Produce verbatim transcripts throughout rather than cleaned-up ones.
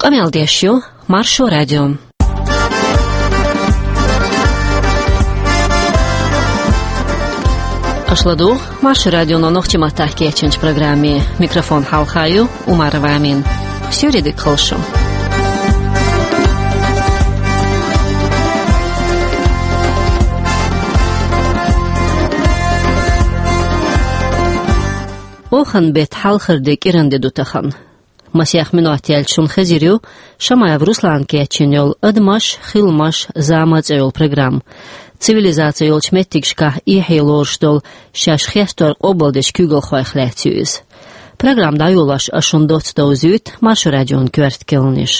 Къамел деш ю Маршо радио. Аша ладугӀу Маршо радионо нохчийн маттахь кечйинчу программе. Микрофон хьалха ю Умарова Амина. Суьйре дика хуьлда шун. Оханан беттан хьалхара де кӀиранан де ду тахана. Масех минот яьлча шуна хезар ю Шамаев Руслана кечйина йолу «Адамаш, хиламаш, зама» цӀе йолу программа. Цивилизаци йолчу меттигашкахь эхье лоруш долу шаьш хестор къобалдечу куьйгалхойх лаьцна ю иза. Программа дӀайолош ас шуна доцца довзуьйту Маршо радион коьрта керланаш.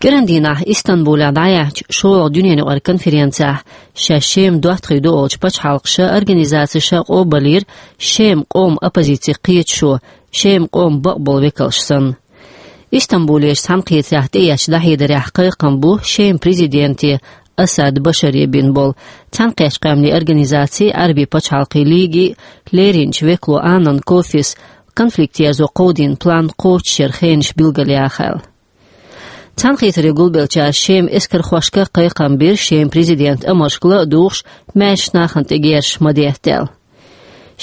КӀиран дийнахь Истанбулехь дӀаяьхьначу шолгӀа дуьненаюкъара конференцехь шаьш Шема доттагӀий ду олучу пачхьалкхаша, организацеша къобалйира Шеман къоман оппозицин кхеташо, Шеман къоман бакъболу векалш санна. Истанбулерчу цхьаьнакхетарехь тӀеэцначу дӀахьедарехь кхайкхам бу Шеман президенте Асад Башаре бина болу Цхьаьнакхеттачу Къаьмнийн Организацин, Ӏаьрбийн пачхьалкхийн Лигин леринчу векало Анан Кофис конфликт ерзо кховдийна план кхочушъяран хенаш билгалъяхьа аьлла. Цхьаьнакхетаре гулбеллачара Шеман эскархошка кхайкхам бира Шеман президентан амалшка ла а духуш, маьршачу нахана тӀе герзаш ма детта аьлла.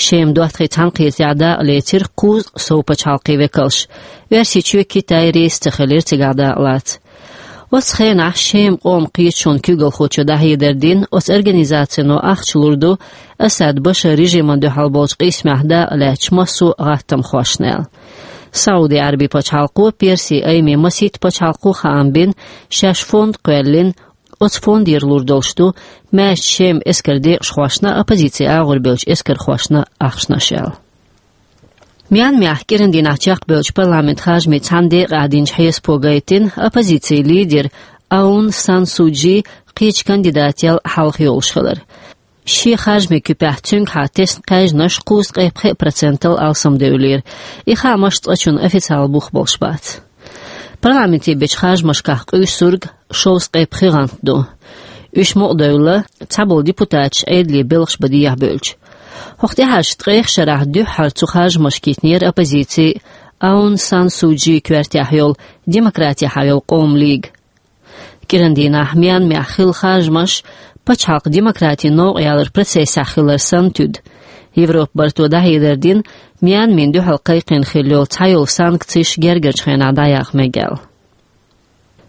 Шеман доттагӀий цхьаьнакхетарехь дакъа лецира кхузткъа сов пачхьалкхийн векалш. Оьрсийчоь, Китай реза ца хилира цигахь дакъа лаца. Оцу хенахь Шеман къоман кхеташонан куьйгалхочо дӀахьедар дина, оцу организацино ахча лур ду Асад Башар режимна дуьхьал болчу къийсамехь дакъа лаьцначу массо а гӀаттамхошна аьлла. Сауди Ӏаьрбийн пачхьалкхо, Персин айма масийтта пачхьалкхо хаам бина, шаьш фонд кхоьллина, оцу фондера лур долуш ду маьршачу Шеман эскаран декъашхошна а, оппозицин агӀор бевллачу эскархошна а ахчанаш аьлла. Мьянмехь кӀиран дийнахь чекхбевллачу парламентан харжамийн цхьана декъехь динчу хьесапо гайтина оппозицин лидер Аун Сан Су Чжи кхечу кандидател хьалха йолуш хилар. Шен харжамийн куьпехь цуьнгахьа тесна кхаьжнаш кхузткъе пхи процентал алсамдевллера. И хаамаш цкъачунна официалан бух болуш бац. Парламенте бечу харжамашкахь къуьйсург шовзткъе пхи гӀант ду. Уьш мукъадевлла, цхьаболу депутаташ Ӏедале белхаш бан дехьабевлча. ХӀокху тӀаьхьарчу ткъех шарахь дуьххьара цу харжамашка йитинера оппозици Аун Сан Су Чжин коьртехь йолу Демократехьа йолу къоман лига. КӀиран дийнахь Мьянмехь хилла харжамаш пачхьалкхан демократин новкъа яларан процессехь хилар санна туьду. Европан барто дӀахьедар дина, Мьянмина дуьхьал кхайкхийна хилла йолу цхьайолу санкцеш гергарчу хенахь дӀаяха мега аьлла.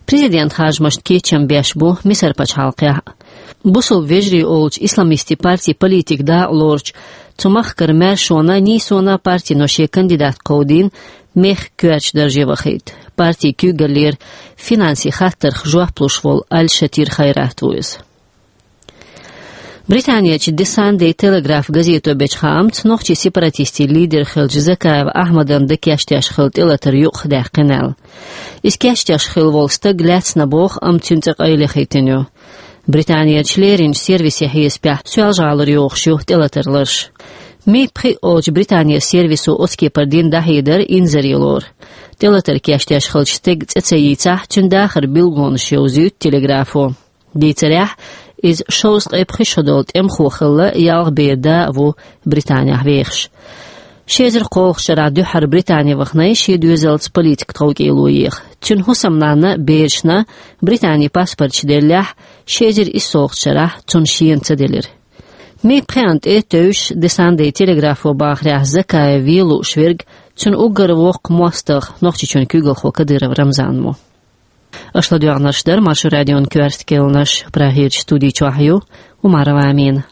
Президентан харжамашна кечам беш бу Мисар пачхьалкхехь а. Бусалба вежарий олучу исламистийн партин политика дакъа лоручу, цу махкара маьршонан а, нийсонан а партино шен кандидат кховдийна мехкан коьртачу дарже вахийта. Партин куьйгаллера финансийн хаттарх жоп луш волу Аль-Шатир Хайрат ву иза. Британерчу The Sunday Telegraph газето бечу хаамца, нохчийн сепаратистийн лидер хиллачу Закаев Ахьмадан дан кечдеш хилла тӀелатар юкъадаьккхина аьлла. Иза кечдеш хилла волу стаг лаьцна боху, амма цуьнан цӀе къайлаяхийтина ю. Британерчу леринчу сервисийн хьесапехь Соьлжа-ГӀалара йохуш ю тӀелатаран ларш. Ми пхиъ олучу Британерчу сервисо оцу кепара дина дӀахьедар инзаре лору. ТӀелатар кечдеш хиллачу стеган цӀе ца йийцахь, цуьнан дахаран билгалонаш йовзуьйту Телеграфо. Дийцарехь, иза шовзткъе пхи шо долу тӀемахо хилла, ялх бер да а ву Британехь вехаш. Ши эзар кхоалгӀачу шарахь дуьххьара Британе вахана шен доьзалца политикан тховкӀело еха. Цуьнан хӀусамнанна а, берашна а Британин паспорташ деллехь, ши эзар иссолгӀачу шарахь цунна шена ца делира. Ми пхиъна тӀе а тевжаш, The Sunday Telegrapho бахарехь, Закаев вен лууш верг цуьнан уггар воккха мостагӀа, Нохчийчоьнан куьйгалхо Кадыров Рамзан ву. Аша ладоьгӀнарш дара Маршо радион коьрта керланаш, Прагерчу студи чохь ю Умарова Амина.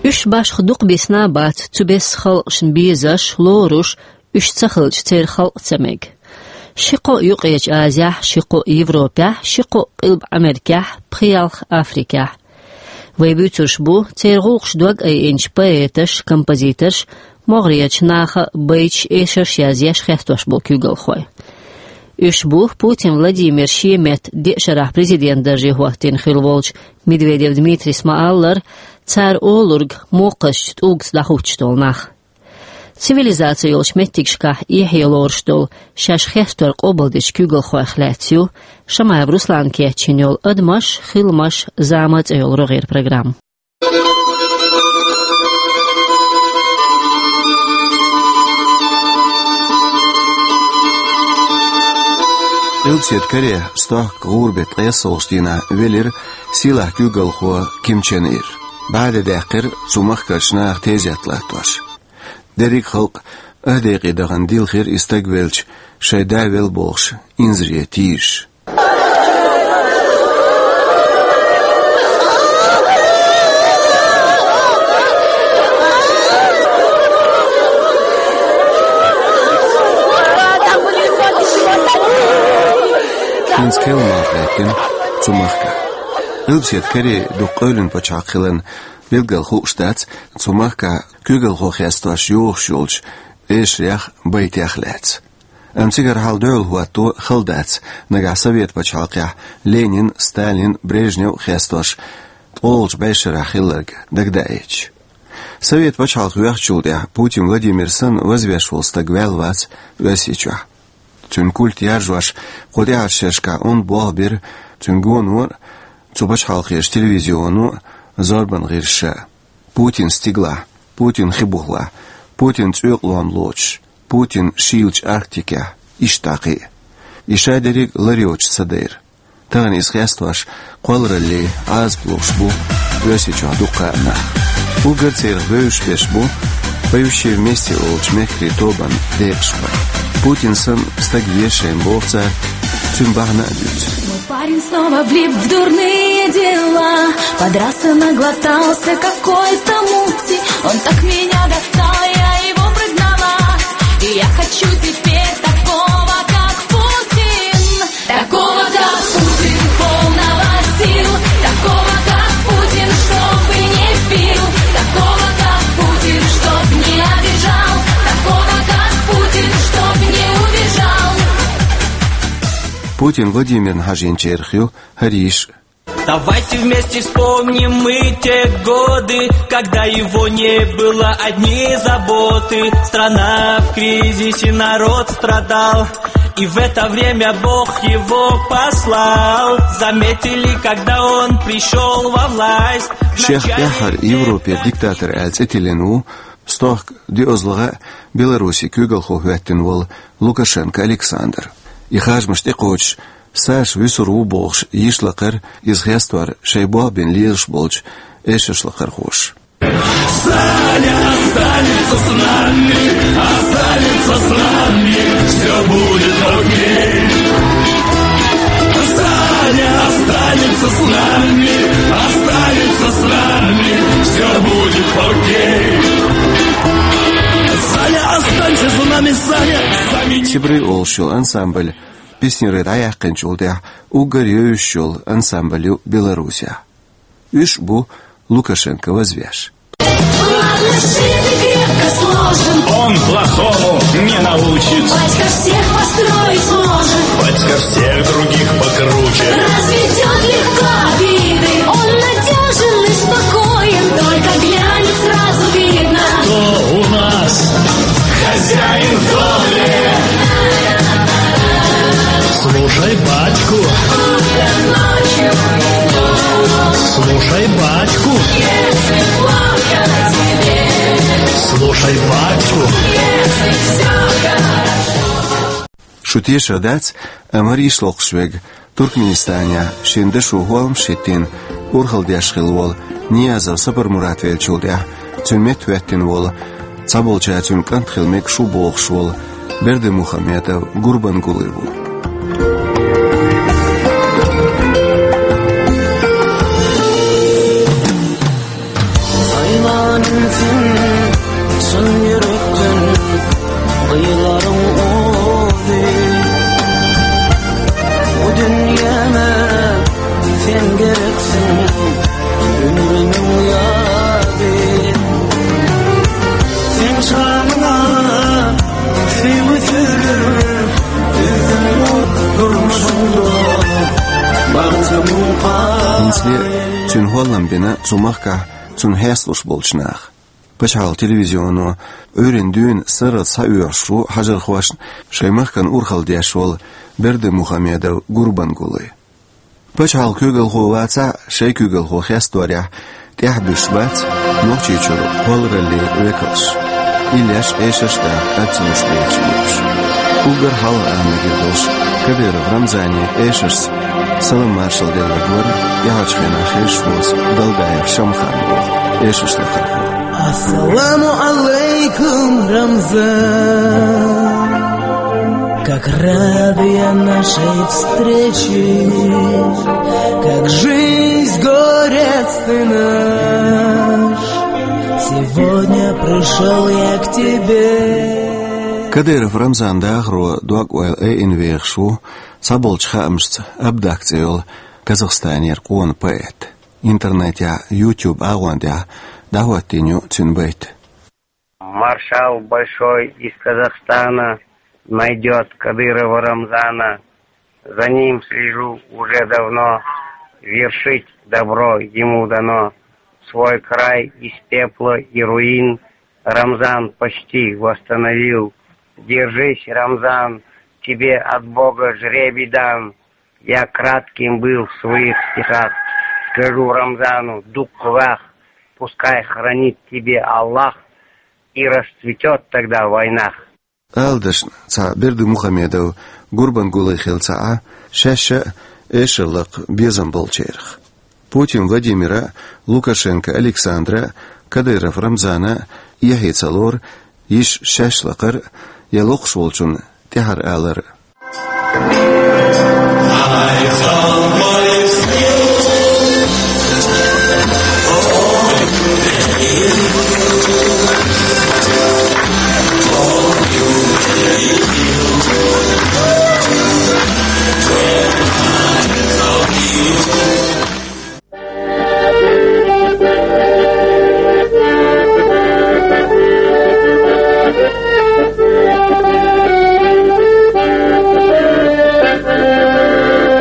Уьш башха дукха бисна а бац, цу бесса халкъашна безаш, лоруш, уьш ца хилча, церан халкъ ца мега. Ши кхоъ Юккъерчу Азехь, ши кхоъ Европехь, ши кхоъ Къилба Америкехь, пхи-ялх Африкехь. Вай буьйцурш бу церан гӀуллакхаш дог айинчу поэташ, композиторш, могӀарерчу наха а байташ, эшарш язъеш, хестош болу куьйгалхой. Уьш бу Путин Владимир шен метта деа шарахь президент дарже хӀоттийна хилла волчу Медведев Дмитрийс ма-аллара, цара олург мокхазчу тӀулгаца дӀахӀуттуш долу нах. Цивилизаци йолчу меттигашкахь эхье лоруш долу шаьш хестор къобалдечу куьйгалхойх лаьцна ю Шамаев Руслана кечйина йолу «Адамаш, хиламаш, зама» цӀе йолу рогӀера программа. Къилбаседа Коре стохка гӀуран бетта ткъаесналгӀача дийнахьа велира сийлахь куьйгалхо Ким Чен Ир. БӀаьде даьккхира цу махкарча наха тезет латтош. Деррига халкъ ах декъе дахана дилхира и стаг велча, шоай да велла бохуш, инзаре тийжаш. ХӀинца керла малх гӀеттина цу махкахь. Къилбаседа Коре дукха къевлина пачхьалкх хиларна, билггал хууш дац цу махкахь куьйгалхо хестош йохуш йолчу эшарех, байтех лаьцна. Амма цигара хьал дуьхьал хӀотто хала дац, нагахь Совет пачхьалкхехь Ленин, Сталин, Брежнев а хестош, ткъолгӀачу бӀешарахь хилларг дагадаийча. Совет пачхьалкх йоьхначул тӀаьхьа Путин Владимир санна вазвеш волу стаг ваьлла вац Оьрсийчохь. Цуьнан культ яржош кху тӀаьхьарчу шерашкахь онда болх бира цуьнан гоно а, цу пачхьалкхерчу телевизионо а, зорбан гӀирсаша а. Путин стигалахь, Путин хи бухалахь, Путин цӀоькъалом лоцуш, Путин шийлачу Арктикехь, иштта дӀа кхин а. И ша дерриг а лар йоцуш ца дайра. Тахана иза хестош кхоллараллин Ӏазап луш бу Оьрсийчохь дуккха а нах. Уггар церах бевзаш берш бу «Поющие вместе» олучу мехкарийн тобанан декъашхой. Путин санна стаг веза шайна боху цара, цуьнан бахьана а дуьйцу. Мой парень снова влип в дурные дела. Подрался, наглотался какой-то мути. Он так меня достал, я его прогнала. И я хочу теперь такого, как Путин. Такого, как Путин, полного сил. Такого, как Путин, чтоб не пил. Такого, как Путин, чтоб не обижал. Такого, как Путин, чтоб не убежал. Путин Владимирна хьажийначарах ю хӀара йиш. Давайте вместе вспомним мы те годы, когда его не было, одни заботы. Страна в кризисе, народ страдал, и в это время Бог его послал. Заметили, когда он пришёл во власть. Шех тӀаьххьара Европера диктатор аьлла цӀе тиллина ву, стохка диъазлагӀа а Беларусин куьйгалхо хӀоьттина волу Лукашенко Александр. И харжамаш тӀекхочуш, Саша вуьсур ву бохуш йиш лакхара, иза хестор шайн болх бина лелаш болчу эшарш лакхархоша. Саня останется с нами, останется с нами, всё будет окей. Саня останется с нами, останется с нами, всё будет окей. Саня, останься с нами, Саня, Саня. Сибры олуш йолу ансамбль песняры дӀаяьккхинчул тӀаьхьа уггар евзаш йолу ансамбль ю Беларусехь. Уьш бу Лукашенко вазвеш. Он плохому не научит. Батька всех построить может. Батька всех других покруче. Разведёт легко обиды. Он надёжен и спокоен. Только глянет, сразу видно, кто у нас хозяин в доме. Слушай батьку. Слушай батьку. Слушай батьку. Шу тешар дац, амма йиш локхуш верг Туркменистанехь шен дашо хӀолламаш хӀиттийна урхалла деш хилла волу Ниязов Сапармурат веллачул тӀаьхьа цуьнан метта хӀоьттина волу, цхьаболчара цуьнан кӀант хила мегаш ву бохуш волу Бердымухамедов Гурбангулы ву. Айланын сен чын юректен, кыйларың оди. Бу дюньяна сен керексиң, ömrümün yadı. Sen çağına sevgi sürür, üzüm durmuşunda, bahtımın. ХӀинцале цуьнан хӀоллам бина цу махкахь цунна хьесталуш болчу наха. Пачхьалкхан телевизионо Ӏуьйранна дуьйна сарралц схьаоьхуш ву хьажархошна шайн махкана урхалла деш волу Бердымухамедов Гурбангулы. Пачхьалкхан куьйгалхо вацахь а, шайн куьйгалхо хесторехь тӀаьхьабуьсуш бац Нохчийчуьра кхоллараллин векалш. Иллеш, эшарш даха, аццанаш бехаш бу уьш. Уггар хьалха ала мегар долуш, Кадыров Рамзане эшарца салам-маршалла делларг вара тӀаьхьарчу хенахь хезаш воцу Далбаев Шамхаран боху эшарш лахархо. Ассаламу алейкум, Рамзан! Как рад я нашей встрече, как жизнь, горец ты наш. Сегодня пришёл я к тебе. Кадыров Рамзанан дахаро дог-ойла айина вехаш ву цхьаболчу хаамашца Абдак цӀе йолу Казахстанера къона поэт. Интернетехь, YouTube агӀон тӀехь дӀахӀоттийна ю цуьнан байт. Маршал большой из Казахстана найдёт Кадырова Рамзана. За ним слежу уже давно, вершить добро ему дано. Свой край из пепла и руин Рамзан почти восстановил. Держись, Рамзан, тебе от Бога жребий дан. Я кратким был в своих стихах. Скажу Рамзану: дуккха вах, пускай хранит тебе Аллах, и расцветёт тогда в войнах. Ала дашна, цхьа Бердымухамедов Гурбангулы хилла ца Ӏа, шаьш а эшар лакха безам болчарах. Путин Владимира а, Лукашенко Александра а, Кадыров Рамзана а эхье ца лору, йиш шаьш лакхара я локхуш волчунна тӀаьхьара алар.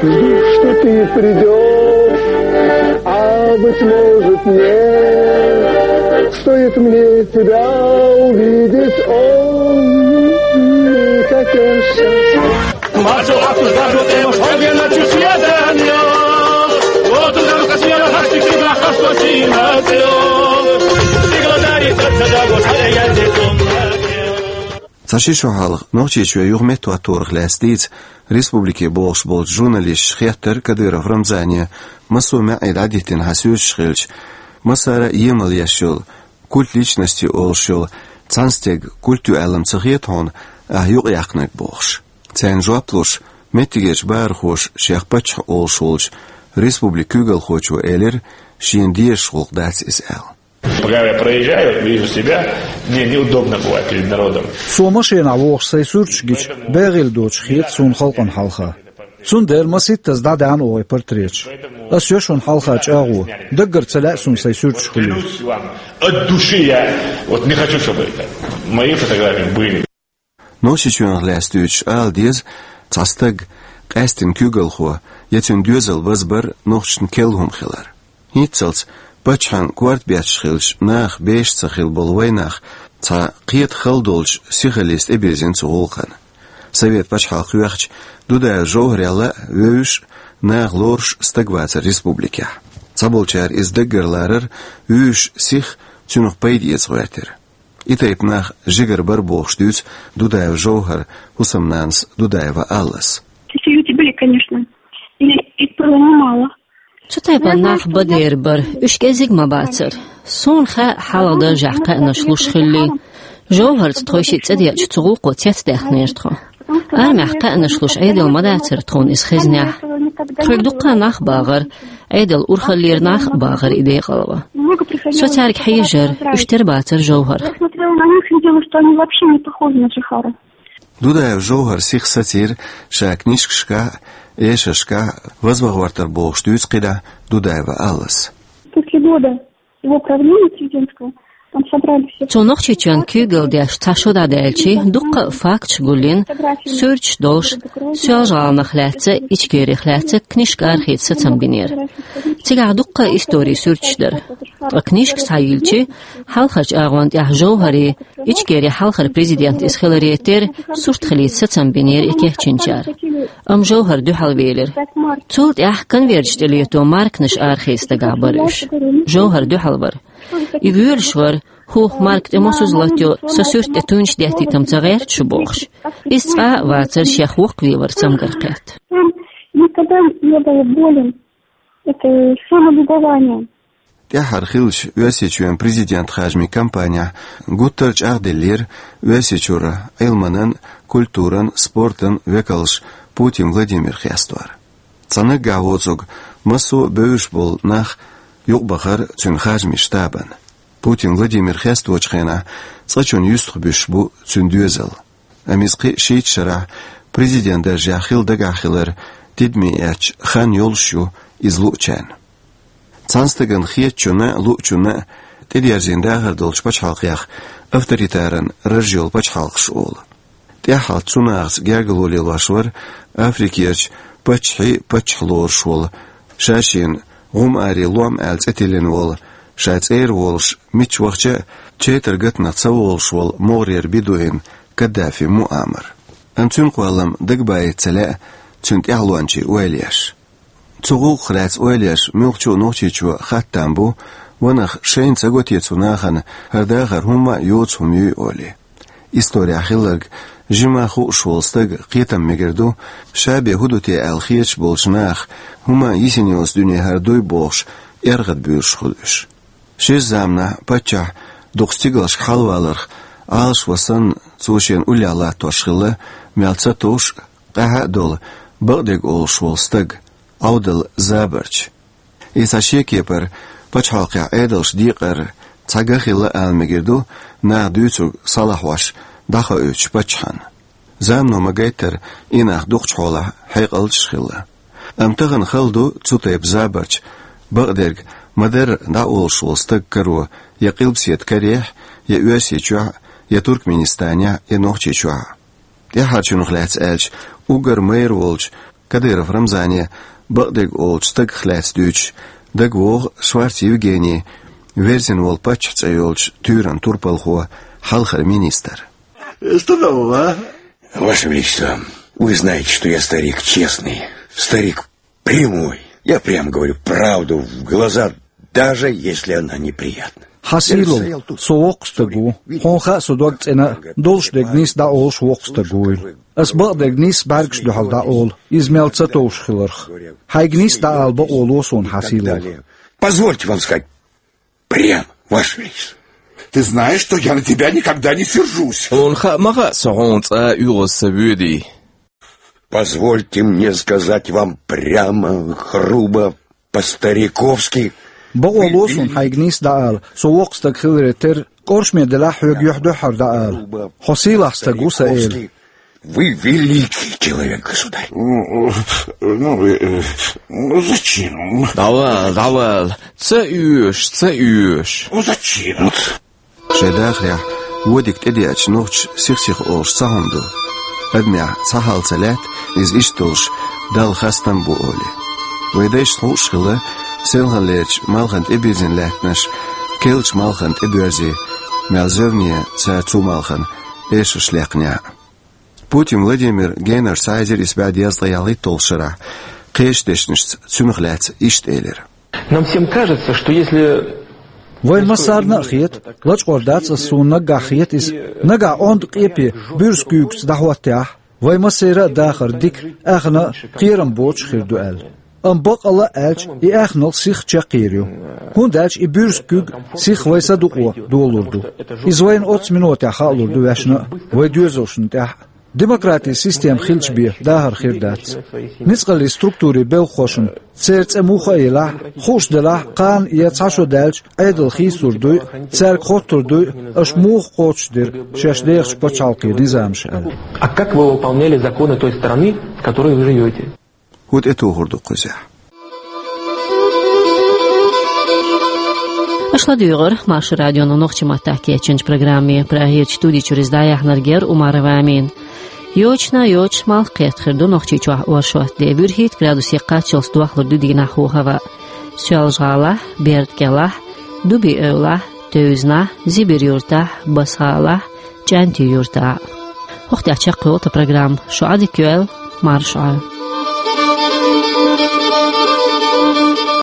Жду, что ты придёшь, а быть может нет. Стоит мне тебя увидеть, он не хотел счастья. Цхьа ши шо хьалха Нохчийчоь юха меттахӀотторах лаьцна дийца республике богӀуш болчу журналисташа хеттара Кадыров Рамзане, массо а маьӀӀе дӀадиттина хьан суьрташ хилча, массара а емал еш йолу, культ личности олуш йолу цхьана стеган культ ю аьлла ма ца хета хьуна ахь юкъаяьккхинарг бохуш. Царна жоп луш, меттигерчу бахархоша шех паччахь олуш волчу республикан куьйгалхочо элира, шена дезаш гӀуллакх дац иза аьлла. Пока я проезжаю, вижу себя, мне неудобно бывает перед народом. Со машенахь вохуш сайн суьрташ гича, бегӀийла доцуш хета суна халкъана хьалха. Цундела масийттаза дӀадаьхьна оха и портреташ. Ас йо шуна хьалха чӀагӀо, даггара ца лаьа суна сайн суьрташ хуьлийла. Клянусь вам, от души я, вот не хочу, чтобы это мои фотографии были. Нохчийчоьнах лаьцна дуьйцуш ала деза, цхьа стаг, къаьсттина куьйгалхо я цуьнан доьзал базбар нохчашна керла хӀума хилар. ХӀинццалц паччахьан корта бетташ хилча, наха беш ца хилла болу вайнах цхьа кхета хала долчу сихаллица тӀебирзина цу гӀуллакхана. Совет пачхьалкх йоьхча, Дудаев Жовхарел а вевзаш, наха лоруш стаг вацара республикехь. Цхьаболчара иза даггара ларара, вуьйш сиха цуьнах пайда эца гӀоьртира. И тайпа нах жигара бара бохуш дуьйцу Дудаев Жовхаран хӀусамнанас Дудаева Аллас. Такие люди были, конечно. И их было немало. Цу тайпана нах бан дера бара, уьш кӀезиг ма бацара. Суна хаьа хьалха даржехь кхаьънаш луш хилли. Жовхарца тхойшиъ цӀа деача цу гӀуллакхо цецдаьккхинера тхо. Армехь кхаьънаш луш Ӏедал ма дацара тхуна иза хезнехь. Тхоьга дуккха а нах багӀара, Ӏедал урхаллера нах а багӀара и декъалван. Со цаьрга хьежара, уьш тера бацара Жовхарх. Я смотрела на них и видела, что они вообще не похожи на Джихара. Дудаев Жовхар сиха сацийра ша книшкашкахь а, эшаршкахь а вазван гӀортар бохуш дуьйцу кхидӀа Дудаева Аллас. После года его правления президентского там собрали все. Цо Нохчийчоьнан куьйгалла деш цхьа шо дӀадаьлча, дуккха а факташ гулйина, суьрташ долуш, Соьлжа-ГӀаланах лаьцна, Ичкерих лаьцна книшка архица сацам бинера. Цигахь дуккха а историн суьрташ дара. Ткъа книшка схьайиллича, хьалхарчу агӀон тӀехь Жовхаран, Ичкерин хьалхара президент иза хиларе терра, сурт хилийта сацам бинера и кечйинчара. Амма Жовхар дуьхьалвелира. Цул тӀаьхьа конверташ тӀелетто марканаш архица дагахь бара уьш. Жовхар дуьхьал вара. И воьлуш вара, хӀух Марк тӀе мосазза латайо, со суьрта тӀе тунаш деттийтам ца гӀерта шу бохуш. Иза цкъа а вацара шех воккхаве вар цамгар кхетта. Он никогда не был болен. Это самолюбование. ТӀаьххьара хиллачу Оьрсийчоьнан президент хажамийн кампанехь гуттар а чӀагӀделлера Оьрсийчуьра Ӏилманан, культуран, спортан векалш Путин Владимир хестор. Цхьа наггахь воцург массо а бевзаш болу нах юкъабахара цуьнан хажамийн штабана. Путин Владимир хесточу хенахь цкъачунна юьстахбуьсуш бу цуьнан доьзал. Амма иза кхин а шийтта шарахь президент даржехь хила дагахь хилар тидаме эцча хан йолуш ю иза луучарна. Цхьана стагана хетачунна а, луучунна а тӀедерзийна дахар долчу пачхьалкхех авторитаран раж йолу пачхьалкхаш олу. ТӀаьххьалц цу нахаца гергарло лелош вара Африкерчу паччахьийн паччахь лоруш волу, ша-шена гӀум-аре лом аьлла цӀе тиллина волу, ша цӀера волуш, мичча вахча а четар гатанах ца волуш волу могӀарера бедуин Каддафи Муаммар. Амма цуьнан кхоллам дагабайта ца лаьа цуьнан тӀаьхьалончийн ойла еш. Цу гӀуллакхах лаьцна ойла еш муьлххачу а Нохчийчоь хаттам бу, ванах шайна ца го те цу нахана хӀара дахар хӀумма а йоцу хӀума юй олий. Исторехь хилларг жимма хууш волу стаг кхетам мегар ду, ша бен хӀун ду те аьлла хеташ болчу наха хӀумма а йисина йоцу дуьне хӀара дуй бохуш, эргӀад буьйлуш хуьлу уьш. Шиза заманахь паччахь дукха стигалшка хьалаваларх Ӏалашван санна, цо шена уллехь латтош хилла, мел ца товш а, къаьхьа а долу, бакъдерг олуш волу стаг, Ӏовдал Забарч. И цхьа шен кепара пачхьалкхехь Ӏедалш декъар цхьа ган хилла ала мегар ду, наха дуьйцург схьалахьош дӀахоуьйтучу паччахьна. Замано ма-гайттара, и нах дукхачу хьолахь хьекъалчаш хилла. Амма тахана хала ду цу тайпа Забарч, бакъдерг ма-дарра дӀаолуш волу стаг каро я Къилбаседа карехь, я Оьрсийчохь, я Туркменистанехь, я Нохчийчохь. ТӀаьххьарчунах лаьцна аьлча, уггар майра волчу Кадыров Рамзане бакъдерг олучу стагах лаьцна дуьйцуш, дагавогӀу Шварц Евгений, верзина волу паччахь цӀе йолчу туьйранан турпалхо, хьалхара министр. Что нового, а? Ваше Величество, вы знаете, что я старик честный, старик прямой. Я прямо говорю правду в глаза, даже если она неприятна. Хьан сийлалла, со воккха стаг ву. Хьуна хаьа со дог цӀена а, долуш дерг нийса дӀаолуш воккха стаг вуйла. Ас бакъдерг нийса бӀаьргаш дуьхьал дӀаолу, иза мел ца товш хиларх. Хьайга нийса дӀаала бакъо ло суна, хьан сийлалла. Позвольте вам сказать прямо, Ваше Величество. Ты знаешь, что я на тебя никогда не сержусь. Хьуна хаьа ма хаьа со хьуна цкъа а оьгӀаз ца воьдий. Позвольте мне сказать вам прямо, грубо, по-стариковски. Бакъо ло суна хьайга нийса дӀаала, со воккха стаг хиларе терра, кӀоршаме делахь хьоьга юьхь-дуьххьара дӀаала. Хьо сийлахь стаг ву сан эла. Вы великий человек, государь. Ну, ну, э, ну, зачем? ДӀавала, дӀавала, ца оьшу, ца оьшу. Ну, зачем? Шайн дахарехь вон дика тӀедеача нохчаша сих-сиха олуш цхьа хӀума ду. Адамехь цхьа хьал ца лаьтта, иза иштта долуш Далла хастам бу олий. Вайн дайшна хууш хилла, селханлерчу малхана тӀебирзина лаьттанаш, керлачу малхана тӀебоьрзий, мел зевне цара цу малхана эшарш лекхнехь а. Путин Владимир генарчу цхьа эзар исс бӀе дезткъе ялхитталгӀачу шарахь кхечу дешнашца цунах лаьцна иштта элира. Нам всем кажется, что если... Вайн массарна а хета, лачкъор дац ас, суна наггахь хета иза, наггахь онда къепе буьрса куьйгаца дӀахӀоттехь, вайн массеран а дахар дика, аьхна а, кхерам боцуш хир ду аьлла. Амма баккъалла а аьлча, и аьхналц сих чекхйийр ю. ХӀунда аьлча и буьрса куьг сих вайн са дукъо долалур ду. Иза вайна оццу минотехь хаалур ду ваьшна а, вайн доьзалшна тӀехь а. Демократин система хилча бен дахар хир дац. Ницкъаллин структурийн белхахошна, церан цӀе муха а елахь, хууш делахь, кхана я цхьа шо даьлча, Ӏедал хийцалур дуй, цаьрга хоттур дуй, аша муха кхочушдира шаьш дехачу пачхьалкхийн низамаш аьлла. А как вы выполняли законы той страны, в которой вы живёте? ХӀун тӀетухур ду кхузахь? Аша ладуьйгӀира Маршо радионо нохчийн маттахь кечйинчу программе. Прагерчу студи чуьра иза дӀаяьхьнарг яра Умарова Амина. Йочана йоцуш малх кхетта хир ду Нохчийчохь оршот де. ВуьрхӀитта градусе кхаччалц дохлур ду дийнахь хӀаваъ. Соьлжа-ГӀалахь, Берда-КӀелахь, Дуби-Эвлахь, Тевзанахь, Зибир-Юьртахь, Басса-ГӀалахь, ЧӀаьнти-Юьртахь. ХӀокху тӀехь чекхйолу тхан программа. Шу Ӏадика йойла, марша Ӏойла.